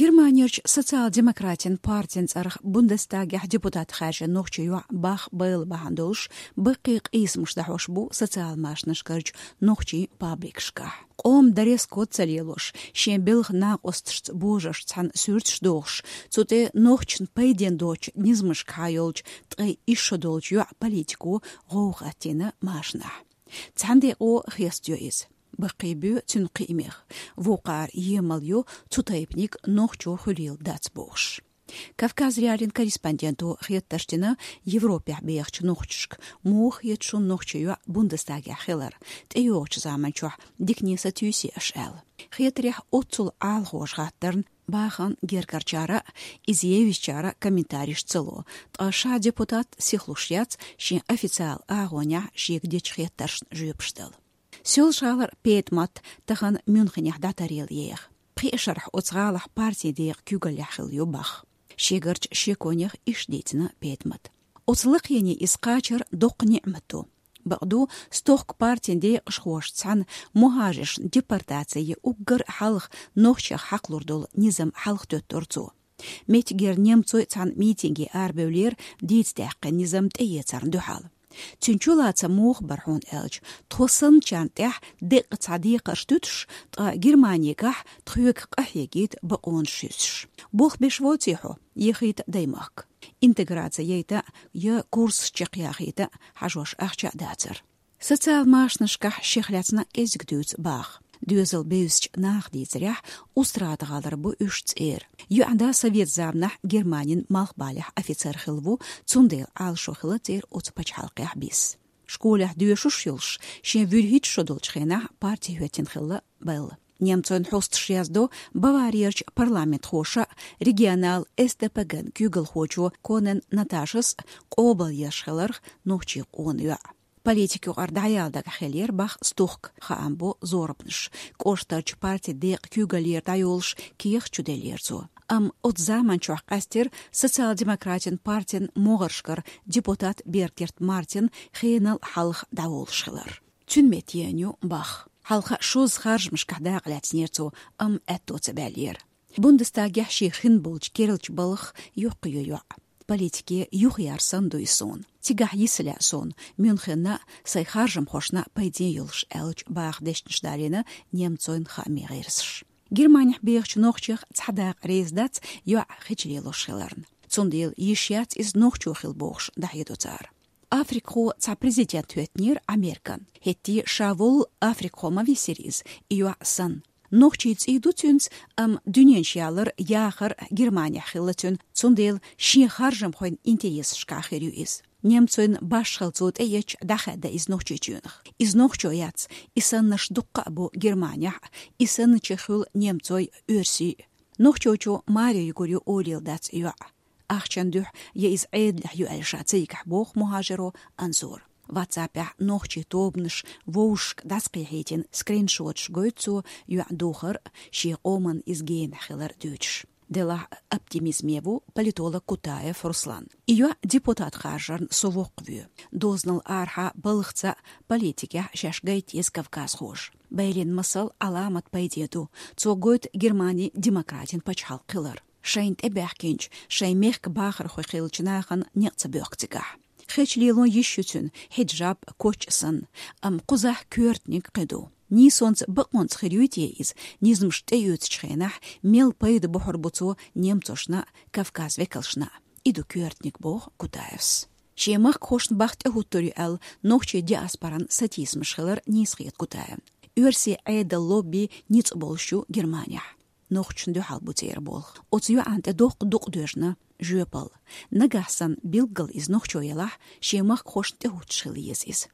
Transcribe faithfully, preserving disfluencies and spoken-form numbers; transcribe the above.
Германерчу социал-демократийн партин цӀарах Бундестагехь депутат хаьржина нохчийн йоӀ Бах Белла бахьана долуш, баккхий къийсамаш дӀахьош бу социал-машанашкарчу нохчийн пабликашкахь. Къоман дресс-код ца лелош, шен белхан накъосташца божаршца цхьаьна суьрташ дохуш, цу тӀе нохчашна пайденна доцучу низамашкахьа йолчу ткъе исс шо долчу йоӀ-политико гӀовгӀа хӀоттийна машанахь. Цхьана декъо хестайо иза. Баккхий боь цуьнан кхиамех. Вукхара емал йо, цу тайпаниг нохчо хуьлийла дац бохуш. Кавказ.Реалиин корреспонденто хеттарш дина Европехь бехачу нохчашка, муха хета шуна нохчийн йоӀ Бундестагехь хилар, тӀейогӀучу заманчохь дикане сатуьйсий аша аьлла. Хетарехь, оццул Ӏалашонаш хаттарна Бахана гергарчара а, иза евзачара а комментареш ца ло, ткъа ша депутат сихлуш яц шен официал агӀонехь шега дечу хеттаршна жоьпаш дала. Соьлжа-ГӀалара педмат тахана Мюнхенехь дӀатаръелла еха. Пхи шарахь оцу гӀалахь партин декъан куьйгаллехь хилла ю Бах. Шегарчу шеконех иштта дийцина педмата. Оцу лакхене иза кхачар доккха ниӀмат ду. Бакъду, стохка партин декъашхошца цхьаьна мухӀажаршна депортаци я уггар а хьалха нохчех хьакхалур долу низам хьалхатоьттура цо. Меттигера немцойн цхьана митинге арабевллера дийца даьккхина низам тӀеэцарна дуьхьал. Цуьнан чулацам муха бара хьуна аьлча, тхо санначарна тӀехь деккъа цхьа декхарш туьтуш, ткъа Германигахь тхоьга къахьегийта бакъонаш шуьйсуш. Болх беш воций хьо, яхийта даймахка. Интеграци яйта я курсаш чекхъяхийта хьажош ахча а дацара. Социал-машанашкахь шех лаьцна кӀезиг дуьйцу Баха. Доьзал бевзачу наха дийцарехь, Устрада-ГӀалара бу уьш цӀера. ЙоӀан да совет заманахь Германин малхбалехь офицер хилла ву, цундела Ӏалашо хилла церан оцу пачхьалкхехь бисса. Школехь доьшуш йолуш, шен вуьрхӀитта шо долчу хенахь парти хӀоьттина хилла Белла. Немцойн хьосташа яздо, Баварерчу парламентхоша а, регионал С Д П Г-н куьйгалхочо Конен Наташас а къобалъеш хиларх нохчийн къона йоӀ. Политика юкъара дӀаяла дагахь хиллера Бах стохка, хаам бо зорбанаш. КӀоштарчу партин декъан куьйгаллера дӀайолуш кехат чуделлера цо. Амма оцу заманчохь къаьстира социал-демократийн партин могӀаршкара депутат Бергерт Мартин хенал хьалха дӀаволуш хилар. Цуьнан метта еана ю Бах. Хьалха шозза харжамашкахь дакъа лаьцнера цо, амма аьтто ца баьллера. Бундестагехь шен хин болчу керлачу балхах йоккха ю йоӀ. Политике юхаяр санна ду и суна. Цигахь йиса лаьа суна, Мюнхенна а, сайн харжамхошна а пайден йолуш, аьлча, Баха дешнаш далийна немцойн хаамийн гӀирсаша. Германехь бехачу нохчех цхьа дакъа реза дац йоӀ хечу лелош хиларна. Цундела йиш яц иза нохчо хила бохуш дӀахьедо цара. Африкхо цхьа президент хӀоьттинера Американ. ХӀетте ша волу африкхо ма висира иза, и йоӀ санна. Нохчийн цӀий ду цуьнца, амма дуьненаш ялар, яхар Германехь хилла цуьнан, цундела шен харжамхойн интересашкахь хир ю иза. Немцойн башхалла цо тӀеэцча, дӀахаьдда иза Нохчийчоьнах. Иза нохчо яц, и саннарш дуккха а бу Германехь а, и санначех хуьлу немцой а, оьрсий а. Нохчочо маре юьгур ю олийла дац и йоӀ. Ахчан дуьхьа я иза Ӏедалехь ю аьлла ша цигахь, боху мухӀажаро Анзора. Ватсапехь нохчийн тобанаш вовшашка дӀасакхехьийтина скриншоташ гойту цо йоӀ духар а, шен къоманна иза генахь хилар а дуьйцуш. Делахь а оптимизме ву политолог Кутаев Руслан. И йоӀ депутат харжарна со воккхавоь. Дозанал арахьа балхаца а, политикехь а шаьш гайта еза кавказхоша. Беллин масал Ӏаламат пайде ду, цо гойту Германин демократин пачхьалкх хилар. Шайна тӀебаьхкинчу, шайн мехкан бахархой хиллачу нахана некъ ца боьхку цигахь. Хечу лело йиш ю цуьнан, хьиджаб, коч а санна, амма кхузахь коьртаниг кхин ду. Нийсонца, бакъонца хир юй те иза, низамаш тӀеоьцучу хенахь мел пайда бохьур бу цо немцошна а, Кавказ векалшна а. И ду коьртаниг, боху Кутаевс. Шен махкахошна бахьа тӀехӀуттур ю аьлла, нохчийн диаспоран сатийсамаш хилар нийса хета Кутаевна. Оьрсийн Ӏедал лобби ницкъ болуш ю Германехь. Нохчашна дуьхьал бу церан болх. Оцу йоӀана тӀе доккха дукъ доьжна жоьпалла. Нагахь санна билггал иза нохчо елахь, шен махкахошна тӀехӀуттуш хила еза иза.